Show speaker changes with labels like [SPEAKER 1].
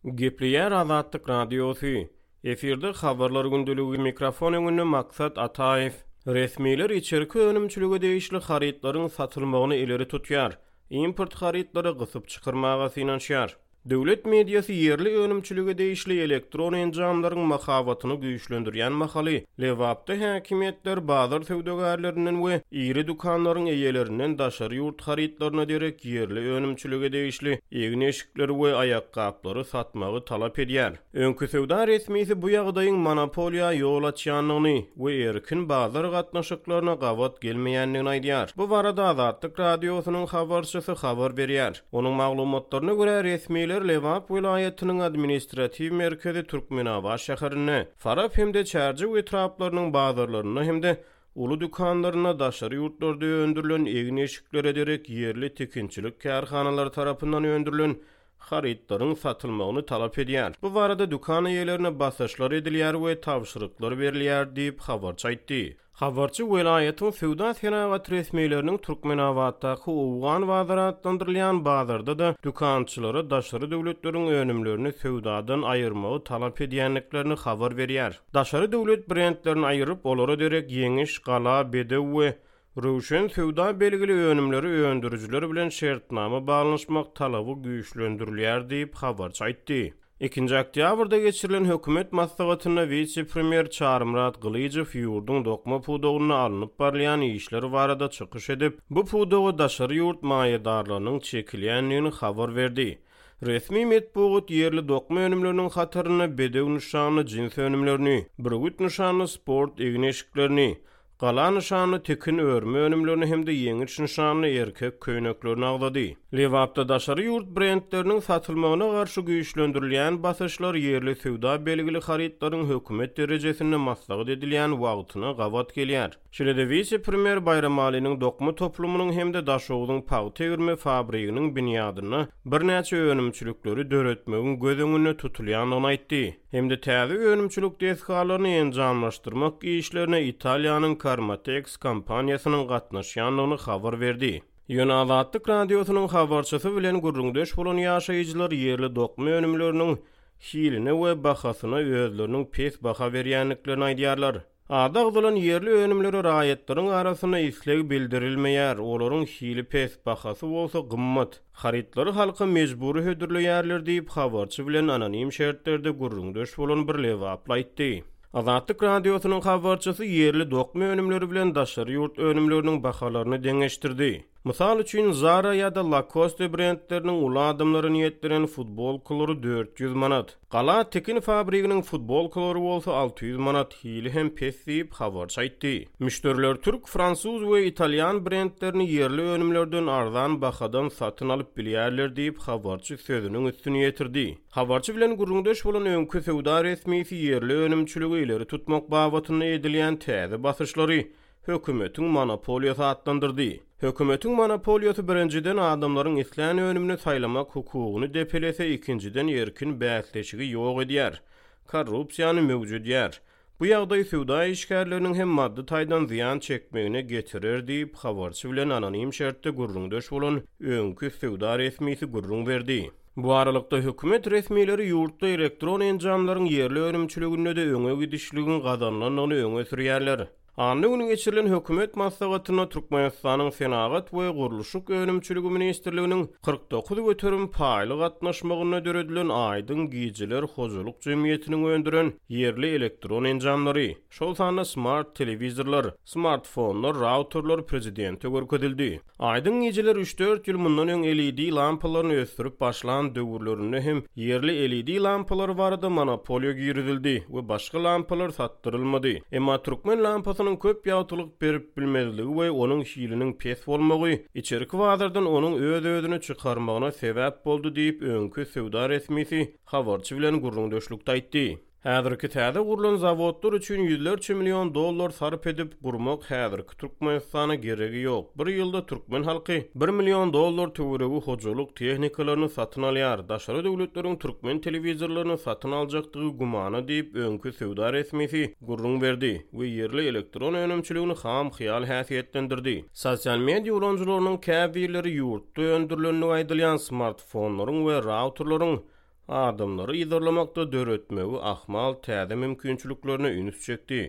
[SPEAKER 1] Gepleýär Azatlyk Radiosy. Efirde Habarlar gündeligi, mikrofon öňünde Maksat Ataýew. Resmiler içerki önümçilige degişli harytlaryň satylmagyny ileri tutýar, import harytlary gysyp çykarmaga synanyşýar. Döwlet mediasy ýerli önümçilige degişli elektron enjamlaryň mahabatyny güýçlendirýän mahaly, Lebapda häkimiýetler bazar söwdagärlerinden we iri dükanlaryň eýelerinden daşary ýurt harytlaryna derek ýerli önümçilige degişli egin-eşikleri we aýakgaplary satmagy talap edýär. Öňki söwda resmisi bu ýagdaýyň monopoliýa ýol açýandygyny we erkin bazar gatnaşyklaryna gabat gelmeýändigini aýdýar. Bu barada Azatlyk Radiosynyň habarçysy habar berýär. Onuň maglumatlaryna görä, resmiler Lebap welaýatynyň administratiw merkezi Türkmenabat şäherinde, Farap hem-de Çärjew etraplarynyň bazarlarynda hem-de uly dükanlarynda daşary ýurtlarda öndürilen egin-eşiklere derek ýerli tikinçilik kärhanalary tarapyndan öndürilen harytlaryň satylmagyny talap edýär. Bu barada dükan eýelerine basyşlar edilýär we tabşyryklar berilýär diýip, habarçy aýtdy. Habarçy welaýatyň söwda-senagat resmileriniň Türkmenabatdaky Owgan bazary atlandyrylýan bazarda-da dükançylara daşary döwletleriň önümlerini söwdadan aýyrmagy talap edýändiklerini habar berýär. Daşary döwlet brendlerini aýyryp, olara derek Ýeňiş, Gala, Bedew we Röwşen söwda belgili önümleri öndürijiler bilen şertnama baglanyşmak talaby güýçlendirilýär diýip, habarçy aýtdy. Ikinji oktýabrda geçirilen hökümet maslahatynda wise-premýer Çarymyrat Gylyjow ýurduň dokma pudagynda alnyp barylýan işler barada çykyş edip, bu pudaga daşary ýurt maýadarlarynyň çekilýändigini habar berdi. Resmi metbugat ýerli dokma önümleriniň hatarynda Bedew nyşanly jins önümlerini, Bürgüt nyşanly sport egin-eşiklerini, Gala nyşanly tikin örme önümlerini hem-de Ýeňiş nyşanly erkek köýneklerini agzady. Lebapda daşary ýurt brendleriniň satylmagyna garşy güýçlendirilýän basyşlar ýerli söwda belgili harytlaryň hökümet derejesinde maslahat edilýän wagtyna gabat gelýär. Şeýle-de wise-premýer Baýramalynyň dokma toplumynyň hem-de Daşogzuň pagta egirme fabriginiň binýadynda birnäçe önümçilikleri döretmegiň göz öňünde tutulýandygyny aýtdy. Hem-de täze önümçilik desgalaryny enjamlaşdyrmak işlerine Italiýanyň Karmatex kompaniýasynyň gatnaşýandygyny habar berdi. Ýöne Azatlyk Radiosynyň habarçysy bilen gürrüňdeş bolan ýaşaýjylar ýerli dokma önümleriniň hiline we bahasyna özleriniň pes baha berýändiklerini aýdýarlar. Ady agzalan ýerli önümlere raýatlaryň arasynda isleg bildirilmeýär, olaryň hili pes, bahasy bolsa gymmat. Harytlary halka mejbury hödürleýärler diýip, habarçy bilen anonim şertlerde gürrüňdeş bolan bir lebaply aýtdy. Azatlyk Radiosynyň habarçysy ýerli dokma önümleri bilen daşary ýurt önümleriniň bahalaryny deňeşdirdi. Mysal üçin, Zara ýa-da Lacoste brendleriniň uly adamlara niýetlenen futbolkalary 400 manat, Gala tikin fabriginiň futbolkalary bolsa 600 manat, hili hem pes diýip, habarçy aýtdy. Müşderiler türk, fransuz we italýan brendlerini ýerli önümlerden arzan bahadan satyn alyp bilýärler diýip, habarçy sözüniň üstüni ýetirdi. Habarçy bilen gürrüňdeş bolan öňki söwda resmisi ýerli önümçiligi ileri tutmak babatynda edilýän täze basyşlary hökümetiň monopoliýasy atlandyrdy. Hökümetiň monopoliýasy birinjiden adamlaryň islän önümini saýlamak hukugyny depelese ikinjiden erkin bäsleşigi ýok edýär, korrupsiýany möwjedýär. Bu ýagdaý söwda işgärleriniň hem maddy taýdan zyýan çekmegine getirer diýip, habarçy bilen anonim şertde gürrüňdeş bolan öňki söwda resmisi gürrüň berdi. Bu aralykda, hökümet resmileri ýurtda elektron enjamlaryň ýerli önümçiliginde-de öňe gidişligiň gazanylandygyny öňe sürýärler. Anna güni geçirilen hökümet maslahatynda Türkmenistanyň Senagat we gurluşyk önümçiligi ministrliginiň 49% paýly gatnaşmagynda döredilen Aýdyň gijeler hojalyk jemgyýetiniň öndüren ýerli elektron enjamlary, şol sanda smart telewizorlar, smartfonlar, rauterler prezidente görkezildi. Aýdyň gijeler üç-dört ýyl mundan öň LED lampalaryny ösdürip başlan döwürlerinde hem ýerli LED lampalary barada monopoliýa girizildi we başga lampalar satdyrylmady. Emma türkmen lampasynyň köp ýagtylyk berip bilmezligi we onuň hiliniň pes bolmagy içerki bazardan onuň öz-özüni çykarmagyna sebäp boldy diýip, öňki söwda resmisi habarçy bilen gürrüňdeşlikde aýtdy. Häzirki täze gurlan zawodlar üçin ýüzlerçe million dollar sarp edip gurmak häzirki Türkmenistana geregi ýok. Bir ýylda türkmen halky bir million dollar töweregi hojalyk tehnikalaryny satyn alýar. Daşary döwletleriň türkmen telewizorlaryny satyn aljakdygy gümana diýip, öňki söwda resmisi gürrüň berdi we ýerli elektron önümçiligini ham hyýal häsiýetlendirdi. Sosial media ulanyjylarynyň käbirleri ýurtda öndürilendigi aýdylýan smartfonlaryň we rauterleriň. adamlary yzarlamakda döretmegi ahmal täze mümkinçiliklerine üns çekdi.